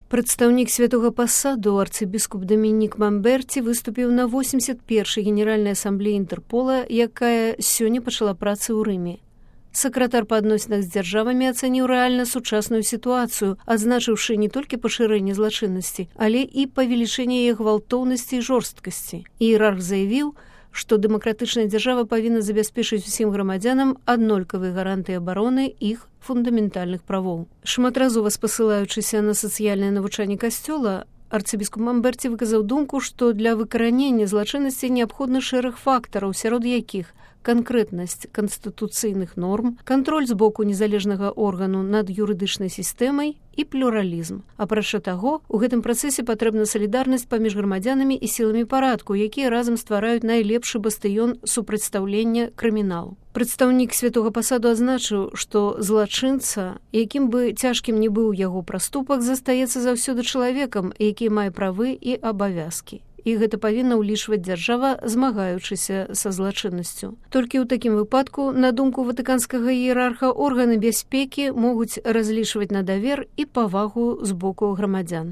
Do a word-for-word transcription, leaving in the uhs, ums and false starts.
Прадстаўнік святога пасаду арцыбіскуп Дамінік Мамберці выступіў на восемьдесят першай генеральнай асамблеі Інтэрпола, якая сёння пачала працы ў Рыме. Сакратар па адносінах з дзяржавамі ацаніў рэальна сучасную сітуацыю, адзначыўшы не толькі пашырэнне злачыннасці, але і павелічэнне яе гвалтоўнасці і жорсткасці. Іерарх заявіў, што дэмакратычная дзяржава павінна забяспечыць усім грамадзянам аднолькавыя гарантыі абароны іх фундаментальных правоў. Шматразова спасылаючыся на сацыяльнае навучанне касцёла, арцыбіскуп Мамберці выказаў думку, што для выкаранення злачыннасці неабходны шэраг фактараў, сярод якіх канкрэтнасць канстытуцыйных норм, кантроль з боку незалежнага органу над юрыдычнай сістэмай і плюралізм. Апрача таго, у гэтым працэсе патрэбна салідарнасць паміж грамадзянамі і сіламі парадку, якія разам ствараюць найлепшы бастыён супрацьстаўлення крыміналу. Прадстаўнік святога пасаду адзначыў, што злачынца, якім бы цяжкім не быў яго праступак, застаецца заўсёды чалавекам, які мае правы і абавязкі. І гэта павінна ўлічваць дзяржава, змагаючыся са злачыннасцю. Толькі ў такім выпадку, на думку ватыканскага іерарха, органы бяспекі могуць разлічваць на давер і павагу з боку грамадзян.